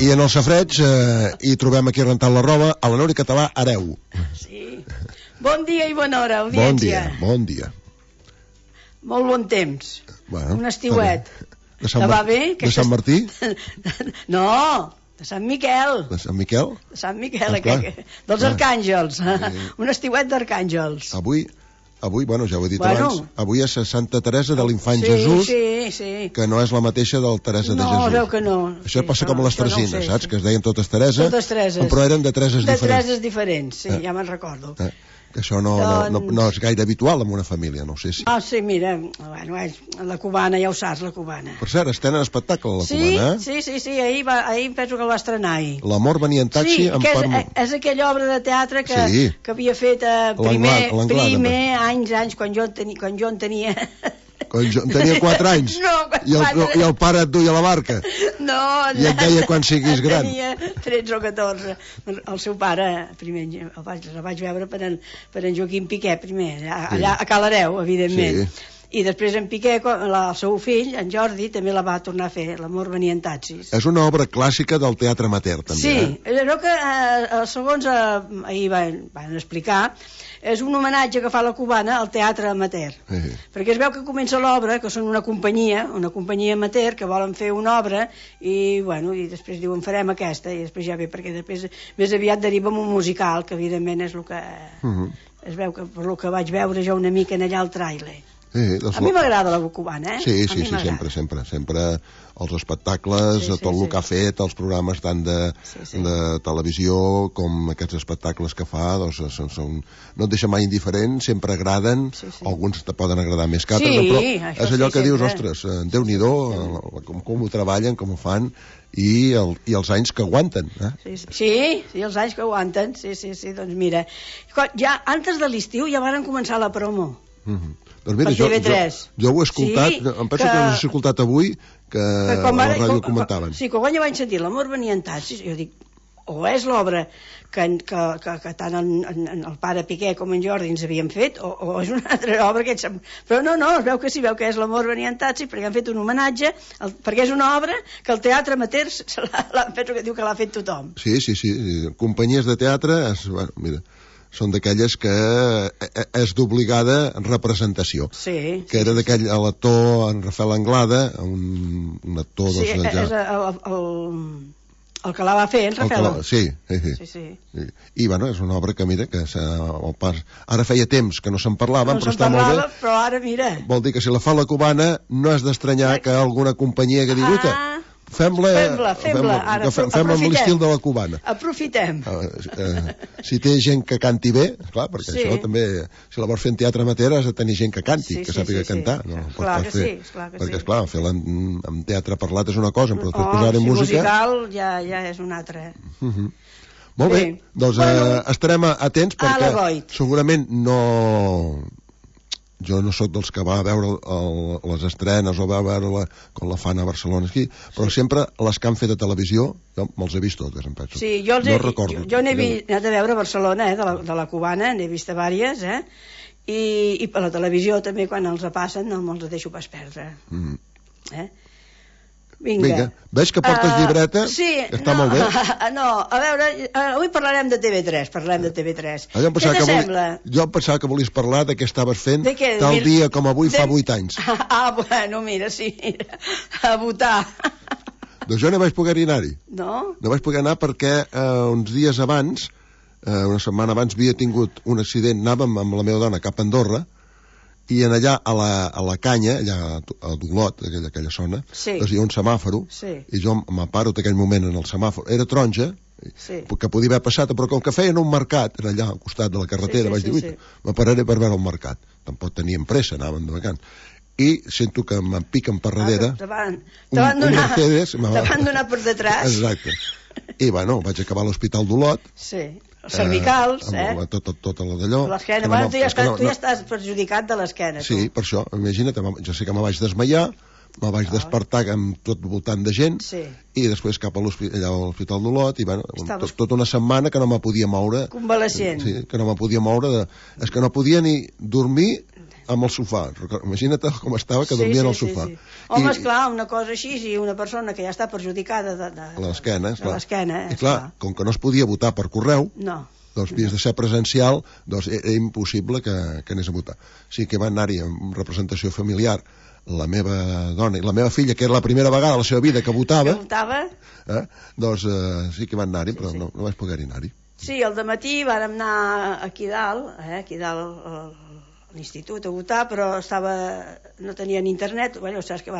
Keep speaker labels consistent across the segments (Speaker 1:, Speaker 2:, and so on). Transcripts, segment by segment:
Speaker 1: I en el safareig hi trobem aquí rentant la roba a la Nori Català Hereu.
Speaker 2: Sí. Bon dia i bona hora, audiència.
Speaker 1: Bon dia.
Speaker 2: Molt bon temps.
Speaker 1: Bueno,
Speaker 2: un estiuet.
Speaker 1: Te va bé? De Sant Martí?
Speaker 2: No, de Sant Miquel.
Speaker 1: De Sant Miquel?
Speaker 2: De Sant Miquel, dels arcàngels. Un estiuet d'arcàngels.
Speaker 1: Avui, bueno, ja ho he dit abans, avui és Santa Teresa de l'Infant Jesús, que no és la mateixa del Teresa de Jesús.
Speaker 2: No, veu que no.
Speaker 1: Això passa com a les Teresines, saps? Que es deien totes Teresa, però eren de Tereses diferents.
Speaker 2: De Tereses diferents, sí, ja me'n recordo.
Speaker 1: Que això no és gaire habitual en una família, no sé si...
Speaker 2: Sí, mira, bueno, la cubana, ja ho saps, la cubana.
Speaker 1: Per cert, estenen espectacle, la cubana,
Speaker 2: eh? Sí, ahir penso que el va estrenar ahir.
Speaker 1: L'amor venia en taxi...
Speaker 2: Sí, és aquella obra de teatre que havia fet primer, anys, quan jo en tenia...
Speaker 1: Quan jo tenia 4 anys i el pare et duia a la barca i et deia quan siguis gran.
Speaker 2: Tenia 13 o 14. El seu pare primer el vaig veure per en Joaquim Piqué primer, allà a Cal Hereu, evidentment. I després en Piqué, el seu fill, en Jordi, també la va tornar a fer, L'amor venia en taxis.
Speaker 1: És una obra clàssica del teatre amateur, també.
Speaker 2: Sí, allò que, segons ahir van explicar, és un homenatge que fa la cubana al teatre amateur. Perquè es veu que comença l'obra, que són una companyia amateur, que volen fer una obra, i després diuen farem aquesta, i després ja ve, perquè després més aviat deriva en un musical, que evidentment és el que... Es veu que per el que vaig veure jo una mica en allà al tràiler. A mi m'agrada la cubana,
Speaker 1: Sí, sempre els espectacles, tot el que ha fet, els programes tant de televisió com aquests espectacles que fa, doncs no et deixa mai indiferent, sempre agraden, alguns te poden agradar més que altres, però és allò que dius, ostres, Déu-n'hi-do, com ho treballen, com ho fan, i els anys que aguanten.
Speaker 2: Sí, els anys que aguanten, sí, doncs mira, ja antes de l'estiu ja varen començar la promo.
Speaker 1: Doncs mira, jo ho he escoltat, em penso que ho he escoltat avui, que a la ràdio comentaven.
Speaker 2: Sí, que quan jo vaig sentir L'amor venia en taxis, jo dic, o és l'obra que tant el pare Piqué com en Jordi ens havien fet, o és una altra obra que... Però no, es veu que sí, veu que és L'amor venia en taxis, perquè han fet un homenatge, perquè és una obra que el teatre amateur penso que diu que l'ha fet tothom.
Speaker 1: Sí, companyies de teatre, mira... són d'aquelles que és d'obligada representació.
Speaker 2: Sí.
Speaker 1: Que era d'aquell l'actor en Rafael Anglada, un actor...
Speaker 2: Sí, és el que la va fer, en Rafael.
Speaker 1: Sí. I, és una obra que, mira, que ara feia temps que no se'n parlava, però està molt bé.
Speaker 2: Però ara, mira...
Speaker 1: Vol dir que si la fa la cubana, no és d'estranyar que alguna companyia que digui... Fem-la amb l'estil de la cubana.
Speaker 2: Aprofitem.
Speaker 1: Si té gent que canti bé, clar, perquè això també, si la vols fer en teatre amateur has de tenir gent que canti, que sàpiga cantar.
Speaker 2: Clar que sí.
Speaker 1: Perquè, esclar, fer-la en teatre parlat és una cosa, però després posar-hi música...
Speaker 2: musical ja és una altra.
Speaker 1: Molt bé, doncs estarem atents perquè segurament no... Jo no sóc dels que va a veure les estrenes o va a veure com la fan a Barcelona aquí, però sempre les que han fet a televisió jo me'ls he vist totes, em penso.
Speaker 2: Sí, jo n'he anat a veure a Barcelona, de la cubana, n'he vist a diverses, i per la televisió també quan els passen no me'ls deixo pas perdre. Vinga.
Speaker 1: Veig que portes llibreta?
Speaker 2: Sí.
Speaker 1: Està molt bé.
Speaker 2: No, a veure, avui parlarem de TV3,
Speaker 1: Jo em pensava que volies parlar de què estaves fent tal dia com avui fa 8 anys.
Speaker 2: Bueno, mira, sí, a votar.
Speaker 1: Doncs jo no vaig poder anar-hi.
Speaker 2: No?
Speaker 1: No vaig poder anar perquè uns dies abans, una setmana abans, havia tingut un accident, anàvem amb la meva dona cap a Andorra, i en allà a la canya, allà a Dolot, aquella zona, doncs hi ha un semàforo, i jo m'aparo d'aquell moment en el semàforo, era taronja, que podia haver passat, però com que feien un mercat, era allà al costat de la carretera, vaig dir, m'apararé per veure el mercat, tampoc teníem pressa, anàvem de vacants, i sento que em piquen per darrere,
Speaker 2: un Mercedes, t'han donat per detrás.
Speaker 1: Exacte. I bueno, vaig acabar a l'Hospital d'Olot,
Speaker 2: cervicals,
Speaker 1: tota la d'allò.
Speaker 2: L'esquena, bueno, tu ja estàs perjudicat de l'esquena.
Speaker 1: Sí, per això, imagina't, jo sé que me vaig desmaiar, me vaig despertar amb tot voltant de gent, i després cap a l'Hospital d'Olot, i bueno, tota una setmana que no me podia moure.
Speaker 2: Convalescent.
Speaker 1: Sí, que no me podia moure, és que no podia ni dormir amb el sofà. Imagina't com estava, que dormia en el sofà.
Speaker 2: Home, esclar, una cosa així, i una persona que ja està perjudicada de
Speaker 1: l'esquena,
Speaker 2: esclar.
Speaker 1: I clar, com que no es podia votar per correu, doncs havies de ser presencial, doncs era impossible que anés a votar. Sí que va anar-hi en representació familiar la meva dona i la meva filla, que era la primera vegada a la seva vida que votava, doncs sí que van anar-hi, però no vaig poder anar-hi.
Speaker 2: Sí, al dematí vàrem anar aquí dalt a l'institut a votar, però no tenien internet. Saps que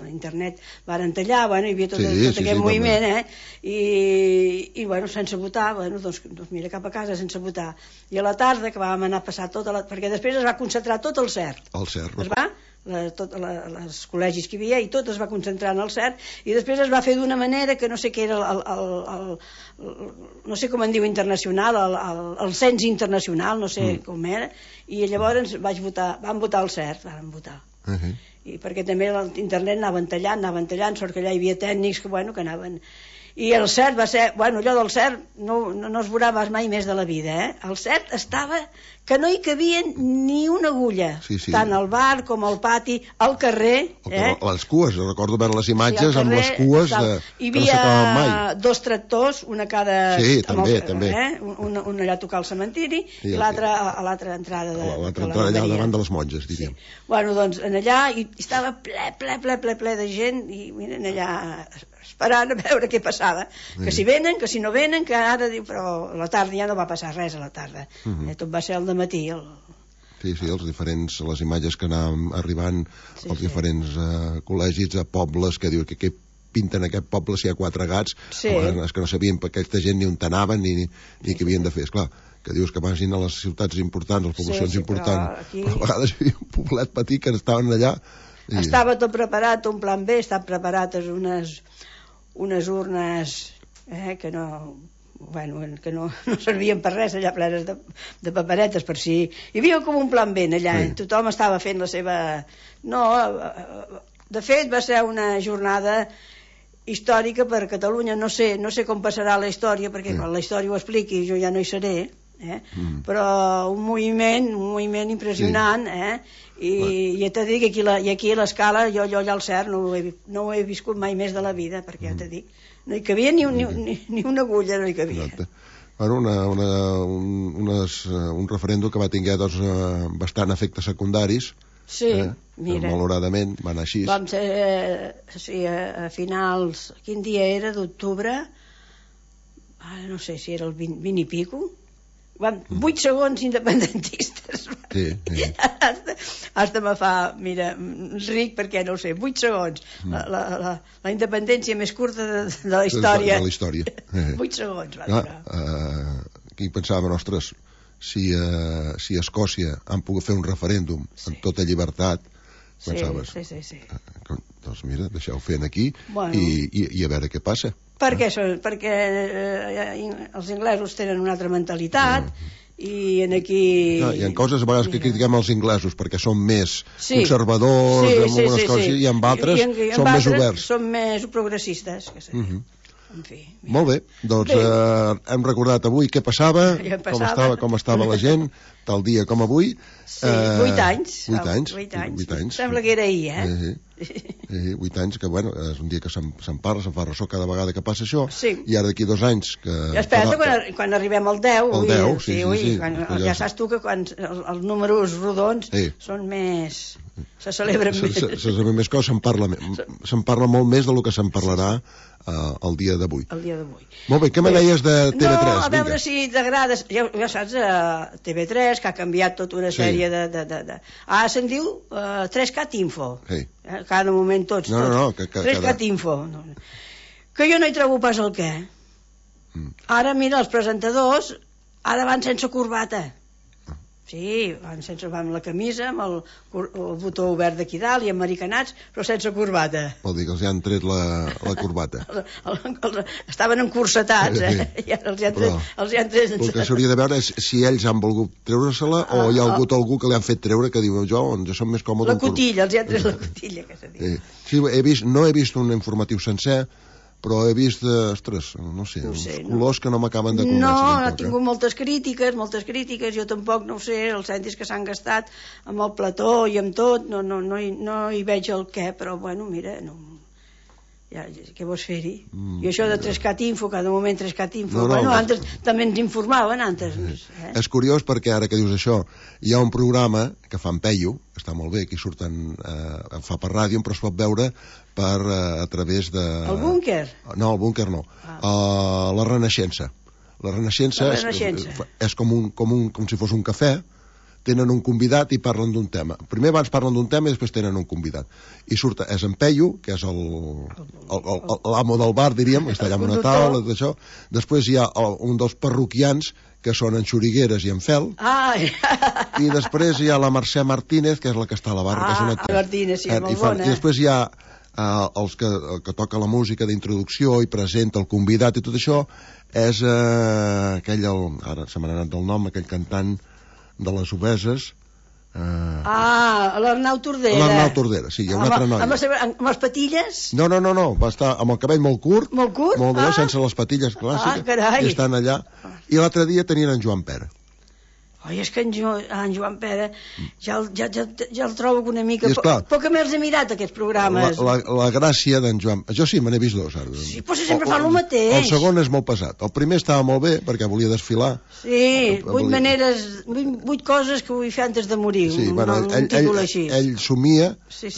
Speaker 2: internet varen tallar, hi havia tot aquest moviment, i sense votar, doncs mira, cap a casa sense votar. I a la tarda, que vam anar a passar perquè després es va concentrar tot el CERT. Els col·legis que hi havia, i tot es va concentrar en el CERT, i després es va fer d'una manera que no sé què era no sé com en diu internacional, el cens internacional, no sé com era, i llavors vam votar el CERT, i perquè també l'internet anaven tallant, sort que allà hi havia tècnics que anaven. I el CERT va ser, allò del CERT no es veurà mai més de la vida, el CERT estava que no hi cabia ni una agulla, tant al bar com al pati, al carrer.
Speaker 1: Les cues, recordo veure les imatges amb les cues
Speaker 2: que no s'acabaven mai. Hi havia 2 tractors, una a cada...
Speaker 1: Sí, també.
Speaker 2: Un allà a tocar el cementiri i l'altre a l'altra entrada de la
Speaker 1: entrada allà davant de les monges, diríem.
Speaker 2: Doncs allà estava ple de gent, i miren allà esperant a veure què passava, que si venen, que si no venen, que ara diu, però a la tarda ja no va passar res a la tarda, tot va ser al dematí.
Speaker 1: Sí, les imatges que anàvem arribant als diferents col·legis, a pobles, que diu que què pinten aquest poble si hi ha 4 gats, és que no sabien per aquesta gent ni on anaven ni què havien de fer, esclar, que dius que vagin a les ciutats importants, a les poblacions importants, però a vegades hi havia un poblet petit que estaven allà.
Speaker 2: Estava tot preparat, un plan B, estan preparades unes urnes que no servien per res, allà plenes de paperetes, per si... Hi havia com un plan B allà, tothom estava fent la seva... De fet, va ser una jornada històrica per Catalunya, no sé com passarà la història, perquè quan la història ho expliqui jo ja no hi seré, però un moviment impressionant, i ja t'he dit que aquí a l'escala jo allà al CERT no ho he viscut mai més de la vida, perquè ja t'he dit, no hi cabia ni una agulla, no hi cabia.
Speaker 1: Un referèndum que va tenir bastant efectes secundaris, malauradament va anar així.
Speaker 2: Vam ser a finals, quin dia era, d'octubre, no sé si era el 20 i pico, 8 segons independentistes. Hasta me fa, mira, ric perquè no ho sé, 8 segons, la independència més curta de la història. 8 segons va durar.
Speaker 1: Aquí pensàvem, ostres, si a Escòcia han pogut fer un referèndum amb tota llibertat, pensaves, doncs mira, deixeu-ho fer aquí i a veure què passa.
Speaker 2: Perquè els inglesos tenen una altra mentalitat, i aquí...
Speaker 1: Hi ha coses a vegades que critiquem els inglesos perquè són més conservadors en algunes coses, i en altres són més oberts.
Speaker 2: Són més progressistes, que sé. En fi,
Speaker 1: molt bé, doncs hem recordat avui què passava, com estava la gent, tal dia com avui.
Speaker 2: 8 anys.
Speaker 1: 8 anys.
Speaker 2: Sembla que era ahir,
Speaker 1: 8 anys, que bueno, és un dia que se'n parla, se'n fa ressò cada vegada que passa això, i ara d'aquí 2 anys que...
Speaker 2: Espera't quan arribem al 10,
Speaker 1: sí.
Speaker 2: Ja saps tu que quan els números rodons són més... se celebren més.
Speaker 1: Se celebren més coses, se'n parla molt més del que se'n parlarà el dia d'avui. Molt bé, què me deies de TV3?
Speaker 2: No, a veure si t'agrada, ja saps, TV3, que ha canviat tota una sèrie de... se'n diu 3Cat Info. Cada moment tots. 3Cat Info. Que jo no hi trobo pas el què. Ara, mira, els presentadors ara van sense corbata. Sí, van amb la camisa, amb el botó obert d'aquí dalt i americanats, però sense corbata.
Speaker 1: Vol dir que els han tret la corbata.
Speaker 2: Estaven encursetats, i ara els han tret...
Speaker 1: El que s'hauria de veure és si ells han volgut treure-se-la o hi ha hagut algú que li han fet treure, que diu jo som més còmode...
Speaker 2: La cotilla, els han tret la cotilla, que s'ha dit.
Speaker 1: Sí, no he vist un informatiu sencer, però he vist, ostres, no sé, uns colors que no m'acaben de convèncer.
Speaker 2: No, ha tingut moltes crítiques, jo tampoc no ho sé, els cèntims que s'han gastat amb el plató i amb tot, no hi veig el què, però bueno, mira, no... Ja, què vols fer-hi? I això de 3CAT Info, cada moment 3CAT Info, bueno, antes també ens informaven, antes.
Speaker 1: És curiós perquè ara que dius això, hi ha un programa que fa en Peyu, que està molt bé, aquí surten, fa per ràdio, però es pot veure a través de...
Speaker 2: El búnquer?
Speaker 1: No, el búnquer no. La Renaixença. La Renaixença és com si fos un cafè, tenen un convidat i parlen d'un tema. Primer abans parlen d'un tema i després tenen un convidat. I surt, és en Peyu, que és l'amo del bar, diríem, que està allà amb una taula, d'això. Després hi ha un dels parroquians, que són en Xurigueres i en Fel. I després hi ha la Mercè Martínez, que és la que està a la barra, que és una actriu.
Speaker 2: Martínez, sí, molt bona.
Speaker 1: I després hi ha els que toca la música d'introducció i presenta el convidat i tot això, és aquell, ara se m'ha anat del nom, aquell cantant de les Obeses.
Speaker 2: L'Arnau Tordera.
Speaker 1: L'Arnau Tordera, sí, hi ha una altra noia.
Speaker 2: Amb les patilles?
Speaker 1: No, va estar amb el cabell molt curt.
Speaker 2: Molt curt?
Speaker 1: Molt bé, sense les patilles clàssiques.
Speaker 2: Carai.
Speaker 1: I estan allà. I l'altre dia tenien en Joan Pera.
Speaker 2: Oi, és que en Joan Pera ja el trobo una mica... Poc que me'ls he mirat, aquests programes.
Speaker 1: La gràcia d'en Joan... Jo sí, me n'he vist dos.
Speaker 2: Sí, però sempre fa el mateix.
Speaker 1: El segon és molt pesat. El primer estava molt bé, perquè volia desfilar.
Speaker 2: Sí, 8 coses que vull fer antes de morir.
Speaker 1: Sí, bueno, ell somia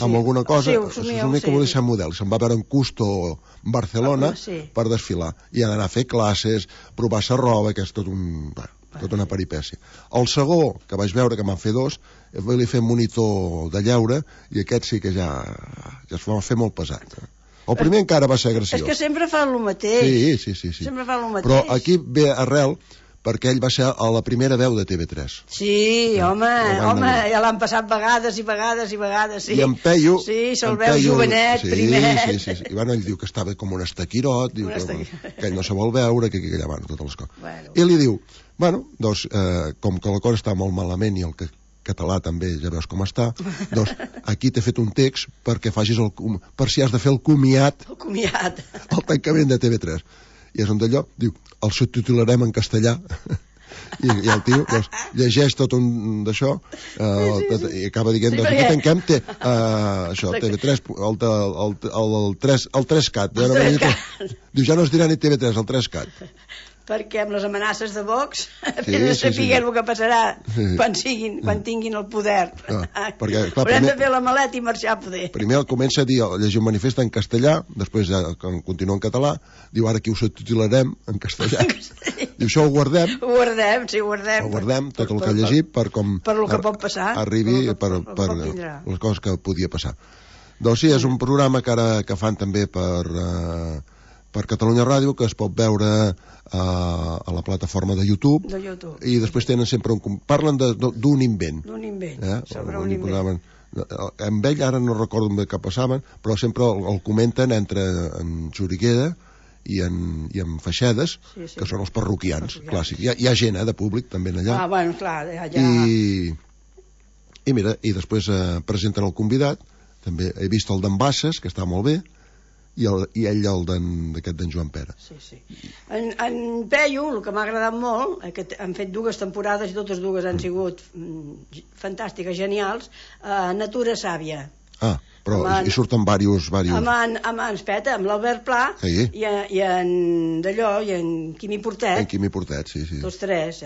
Speaker 1: amb alguna cosa, somia que volia ser model. Se'n va veure en Custo, Barcelona, per desfilar. I anar a fer classes, provar-se roba, que és tot un... tota una peripècia. El segon, que vaig veure que m'han fet dos, vaig fer monitor de lleure, i aquest sí que ja es va fer molt pesat. El primer encara va ser graciós.
Speaker 2: És que sempre fa el mateix.
Speaker 1: Sí.
Speaker 2: Sempre fa el mateix.
Speaker 1: Però aquí ve arrel perquè ell va ser a la primera veu de TV3.
Speaker 2: Sí, home, ja l'han passat vegades i vegades, sí.
Speaker 1: I en Peyu...
Speaker 2: Sí, se'l veu jovenet, primet.
Speaker 1: Sí. I bueno, ell diu que estava com un estaquirot, diu que ell no se vol veure, que allà van totes les coses. I li diu, bueno, doncs, com que la cosa està molt malament i el català també ja veus com està, doncs aquí t'he fet un text perquè facis per si has de fer el comiat.
Speaker 2: El comiat.
Speaker 1: El tancament de TV3. I és on d'allò, diu, el subtitularem en castellà. I el tio doncs, llegeix tot un d'això i acaba dient, doncs aquí tanquem això, TV3, el 3CAT. Diu, ja no es dirà ni TV3, el 3CAT.
Speaker 2: Perquè amb les amenaces de Vox no sapiguem el que passarà quan tinguin el poder. Haurem de fer la maleta i marxar a poder.
Speaker 1: Primer comença a dir, llegir un manifest en castellà, després ja continua en català, diu ara aquí ho subtitularem en castellà. Diu, això ho guardem.
Speaker 2: Ho guardem,
Speaker 1: tot el que ha llegit per com
Speaker 2: el que pot passar,
Speaker 1: arribi per les coses que podia passar. Doncs sí, és un programa que fan també per Catalunya Ràdio, que es pot veure a la plataforma de YouTube. I després tenen sempre parlen d'un invent.
Speaker 2: Sobre un invent.
Speaker 1: Amb ell ara no recordo bé què passaven, però sempre el comenten entre en Xuriguera i en Feixedes, que són els parroquians clàssics. Hi ha gent de públic també allà.
Speaker 2: Bueno, clar,
Speaker 1: i mira, i després presenten el convidat. També he vist el d'en Bassas, que està molt bé, i ell d'aquest d'en Joan Pera.
Speaker 2: Sí. En Peyu, el que m'ha agradat molt, que han fet 2 temporades i totes 2 han sigut fantàstiques, genials, Natura Sàvia.
Speaker 1: Però hi surten diversos...
Speaker 2: Amb l'Albert Pla i en Quimi Portet.
Speaker 1: En Quimi Portet, sí.
Speaker 2: Tots 3,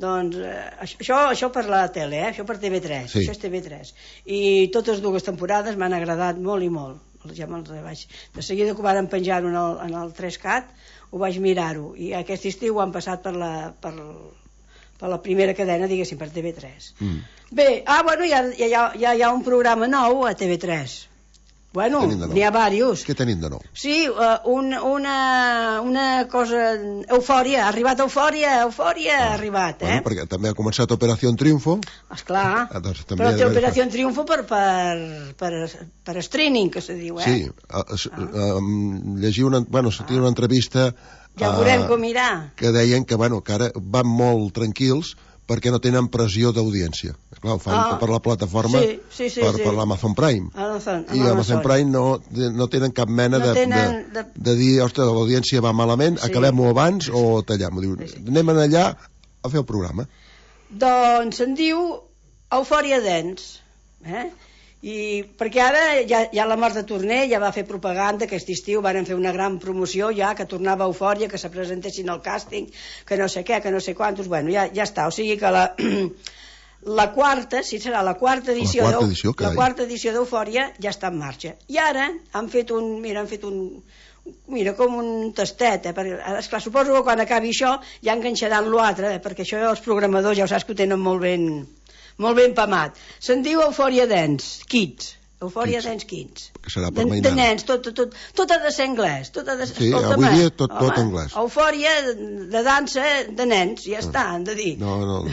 Speaker 2: Doncs això per la tele, això per TV3. Això és TV3. I totes 2 temporades m'han agradat molt i molt. De seguida que ho van penjar-ho en el 3CAT, ho vaig mirar-ho. I aquest estiu ho han passat per la primera cadena, diguéssim, per TV3. Bé, bueno, ja hi ha un programa nou a TV3. Bueno, n'hi ha diversos.
Speaker 1: Què tenim de nou?
Speaker 2: Sí, una cosa... Eufòria, ha arribat Eufòria, ha arribat,
Speaker 1: Bueno, perquè també ha començat Operació Triunfo.
Speaker 2: Esclar, però té Operació Triunfo per streaming, que se diu,
Speaker 1: Sí, llegir una entrevista...
Speaker 2: Ja veurem com irà.
Speaker 1: Que deien que ara van molt tranquils perquè no tenen pressió d'audiència. Clar, ho fan per la plataforma, per l'Amazon Prime. I l'Amazon Prime no tenen cap mena de dir, ostres, l'audiència va malament, acabem-ho abans o tallem. Anem allà a fer el programa.
Speaker 2: Doncs se'n diu Eufòria Dance, i perquè ara ja la Marta Torner ja va fer propaganda aquest estiu, van fer una gran promoció ja, que tornava Eufòria, que se presentessin al càsting, que no sé què, que no sé quantos, bueno, ja està, o sigui que la quarta, si serà la quarta edició d'Eufòria ja està en marxa, i ara han fet com un tastet, perquè, esclar, suposo que quan acabi això ja enganxaran l'altre, perquè això els programadors ja ho saps que ho tenen molt ben pamat. Se'n diu Eufòria Dance Kids. Eufòria Dance Kids.
Speaker 1: Que serà per
Speaker 2: de nens, tot ha de ser anglès.
Speaker 1: Sí, avui dia tot anglès.
Speaker 2: Eufòria de dansa de nens, ja està, han de dir.
Speaker 1: No.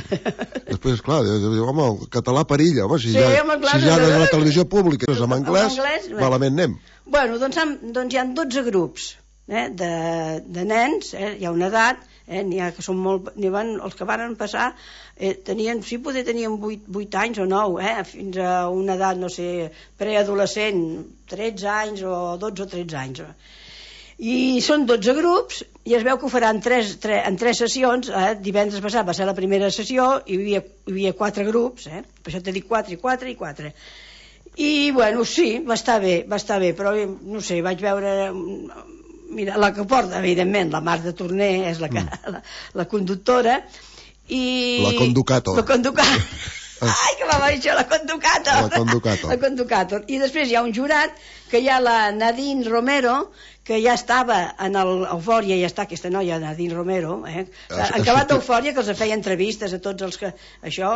Speaker 1: Després, clar, home, el català perilla, home, si ja de la televisió pública és en anglès, malament anem.
Speaker 2: Bueno, doncs hi ha 12 grups de nens, hi ha una edat, n'hi ha que són molt... els que van passar tenien 8 anys o 9, fins a una edat, no sé, preadolescent, 13 anys o 12 o 13 anys. I són 12 grups i es veu que ho faran en 3 sessions. Divendres passat va ser la primera sessió i hi havia 4 grups, per això t'he dit 4 i 4 i 4. I, bueno, sí, va estar bé, però, no sé, vaig veure... Mira, la que porta, evidentment, la Marta Torner és la conductora i...
Speaker 1: La conducàtor.
Speaker 2: Ai, que m'ha dit això, la conducàtor. I després hi ha un jurat, que hi ha la Nadine Romero, que ja estava en l'Eufòria, ja està aquesta noia, Nadine Romero, en acabat d'Eufòria, que els feia entrevistes a tots els que... Això,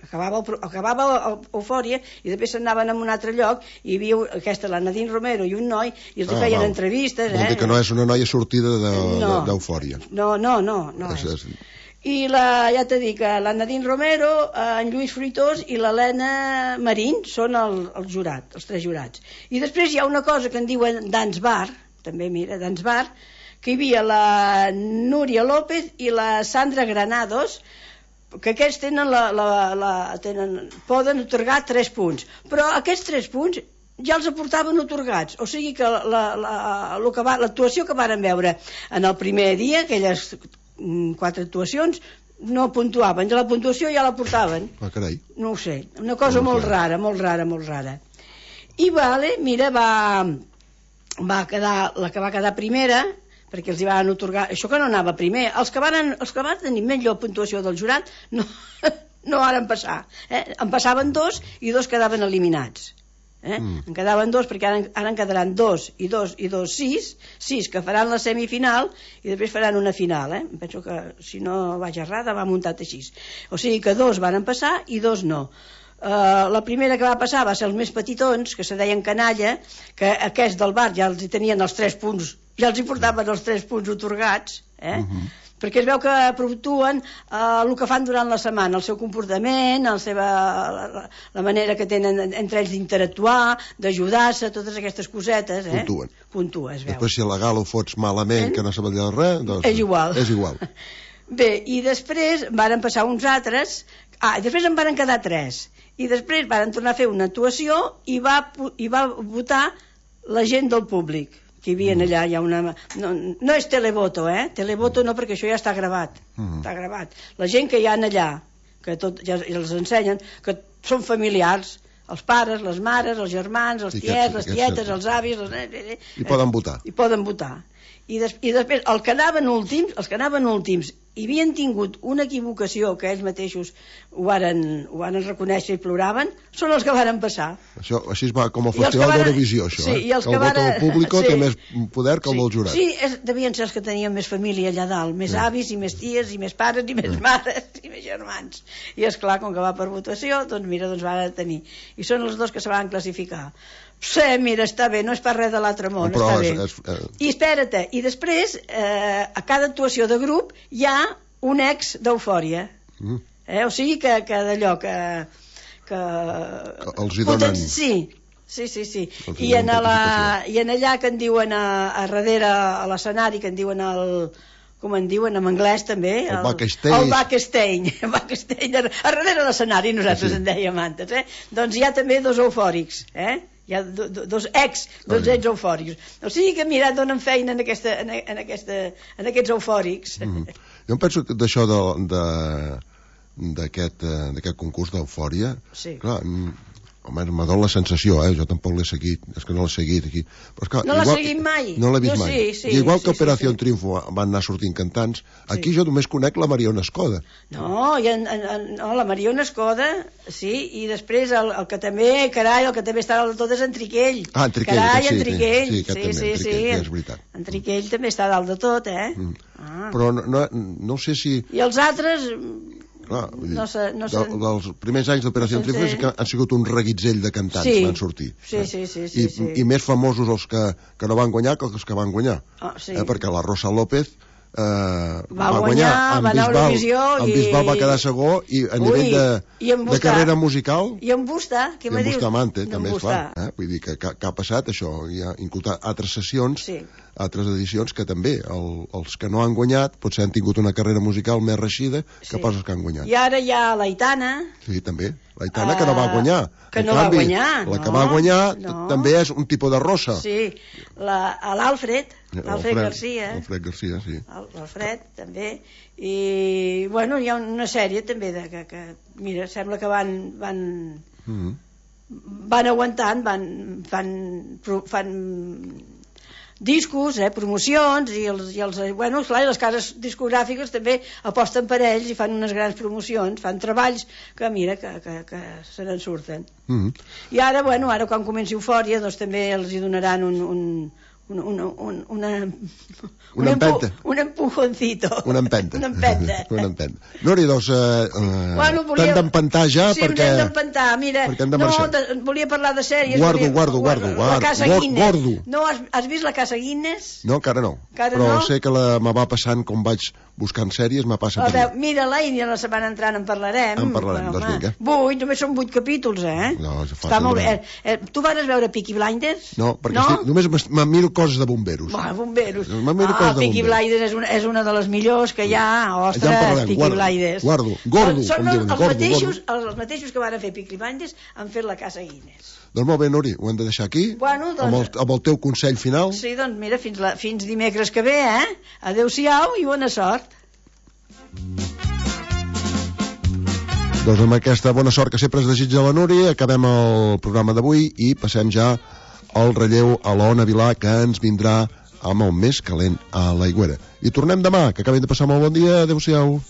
Speaker 2: acabava Eufòria, i després s'anaven a un altre lloc, i hi havia aquesta, la Nadine Romero i un noi, i els feien entrevistes.
Speaker 1: Vol dir que no és una noia sortida d'Eufòria.
Speaker 2: No és. I ja t'he dit que la Nadine Romero, en Lluís Fruitós i l'Helena Marín són els jurats, els 3 jurats. I després hi ha una cosa que en diuen Dance Bar, també mira, Dance Bar, que hi havia la Núria López i la Sandra Granados, que aquests poden atorgar 3 punts, però aquests 3 punts ja els aportaven atorgats, o sigui que l'actuació que varen veure en el primer dia, aquelles 4 actuacions, no puntuaven, la puntuació ja la portaven.
Speaker 1: Carai.
Speaker 2: No ho sé, una cosa molt rara. I mira, va quedar la que va quedar primera, perquè els hi van atorgar, això que no anava primer, els que van tenir millor puntuació del jurat no varen passar, en passaven 2 i 2 quedaven eliminats. En quedaven 2, perquè ara en quedaran 2 i 2 i 2, 6 que faran la semifinal i després faran una final. Penso que si no vaig errada va muntat així, o sigui que 2 van passar i 2 no. La primera que va passar va ser els més petitons, que se deien canalla, que aquests del bar ja els tenien els 3 punts, ja els hi portaven els 3 punts atorgats, perquè es veu que puntuën el que fan durant la setmana, el seu comportament, la manera que tenen entre ells d'interactuar, d'ajudar-se, totes aquestes cosetes. Puntua, es veu.
Speaker 1: Després si a la gala ho fots malament, que no sabia res, doncs és igual.
Speaker 2: Bé, i després varen passar uns altres, després en varen quedar 3, i després varen tornar a fer una actuació i va votar la gent del públic que hi havia allà. Hi ha una... no és televoto, televoto no, perquè això ja està gravat. Està gravat. La gent que hi ha allà, que ja els ensenyen, que són familiars, els pares, les mares, els germans, els tiets, les tietes, els avis...
Speaker 1: I poden votar.
Speaker 2: I després, els que anaven últims i havien tingut una equivocació que ells mateixos ho varen reconèixer i ploraven, són els que varen passar.
Speaker 1: Això així va com el Festival d'Eurovisió, això,
Speaker 2: sí, el
Speaker 1: vot del públic té més poder que el del jurat.
Speaker 2: Sí, devien ser els que tenien més família allà dalt, més avis i més ties i més pares i més mares i més germans. I esclar, com que va per votació, doncs van tenir. I són els 2 que se van classificar. Sí, mira, està bé, no és per res de l'altre món, està bé. I espera't, i després, a cada actuació de grup hi ha un ex d'Eufòria. O sigui que d'allò que...
Speaker 1: Els hi donen...
Speaker 2: Sí. I en allà que en diuen a darrere, a l'escenari, que en diuen com en diuen en anglès també,
Speaker 1: el backstage.
Speaker 2: El backstage, a darrere l'escenari nosaltres en dèiem antes, doncs hi ha també dos eufòrics, hi ha dos ex eufòrics, o sigui que mira, donen feina en aquests eufòrics.
Speaker 1: Jo em penso que d'això d'aquest concurs d'eufòria, clar, home, me dona la sensació, jo tampoc l'he seguit, és que no l'he seguit aquí. Però, esclar,
Speaker 2: no l'has seguit mai?
Speaker 1: No l'he vist mai. I igual que Operació Triunfo van anar sortint cantants, aquí jo només conec la Mariona Escoda.
Speaker 2: No, la Mariona Escoda, sí, i després el que també, carai, el que també està dalt de tot és en Triquell.
Speaker 1: Ah, en Triquell,
Speaker 2: carai,
Speaker 1: sí,
Speaker 2: en Triquell.
Speaker 1: sí, és veritat.
Speaker 2: En Triquell també està dalt de tot,
Speaker 1: Però no sé si...
Speaker 2: I els altres...
Speaker 1: Clar, dels primers anys d'Operació Triunfo han sigut un reguitzell de cantants que van sortir. I més famosos els que no van guanyar que els que van guanyar. Perquè la Rosa López va guanyar,
Speaker 2: va anar a Eurovisió,
Speaker 1: en Bisbal va quedar segó, i a nivell de carrera musical,
Speaker 2: i en Busta, què me dius?
Speaker 1: I en Bustamante, també, esclar. Vull dir que ha passat això, hi ha inclús altres sessions, altres edicions que també els que no han guanyat potser han tingut una carrera musical més reeixida que pas els que han guanyat.
Speaker 2: I ara hi ha l'Aitana.
Speaker 1: Sí, també. L'Aitana que no va guanyar.
Speaker 2: Que no va guanyar.
Speaker 1: La que va guanyar també és un tipus de rosa.
Speaker 2: Sí, l'Alfred Garcia.
Speaker 1: L'Alfred Garcia, sí.
Speaker 2: L'Alfred, també. I, bueno, hi ha una sèrie també que mira, sembla que van aguantant, fan discos, promocions, i les cases discogràfiques també aposten per ells i fan unes grans promocions, fan treballs que mira, que se n'en surten. I ara, ara quan comenci Eufòria, doncs també els hi donaran un empujoncito.
Speaker 1: Una empenta. Nori, doncs, t'hem d'empentar ja, perquè...
Speaker 2: Sí, hem d'empentar, mira. Volia parlar de sèries.
Speaker 1: Guardo.
Speaker 2: La Casa Guinness.
Speaker 1: No,
Speaker 2: has vist la Casa Guinness?
Speaker 1: No, encara no. Però sé que me va passant, com vaig buscant sèries, m'ha passat per allà.
Speaker 2: Mira-la i la setmana entrant en parlarem.
Speaker 1: Doncs vinga.
Speaker 2: 8, només són 8 capítols,
Speaker 1: No,
Speaker 2: està molt bé. Tu vas veure Peaky Blinders?
Speaker 1: No, perquè només me miro coses de bomberos.
Speaker 2: Bomberos. Peaky Blinders és una de les millors que hi ha. Ostres, Peaky Blinders.
Speaker 1: Gordo.
Speaker 2: Són els mateixos que van fer Peaky Blinders han fet la Casa Guinness.
Speaker 1: Doncs molt bé, Nori, ho hem de deixar aquí, amb el teu consell final.
Speaker 2: Sí, doncs mira, fins dimecres que ve, Adéu-siau i bona sort.
Speaker 1: Doncs amb aquesta bona sort que sempre es desitja la Nori, acabem el programa d'avui i passem ja al relleu a l'Ona Vilà, que ens vindrà amb el més calent a l'Aigüera. I tornem demà, que acabem de passar molt bon dia. Adéu-siau.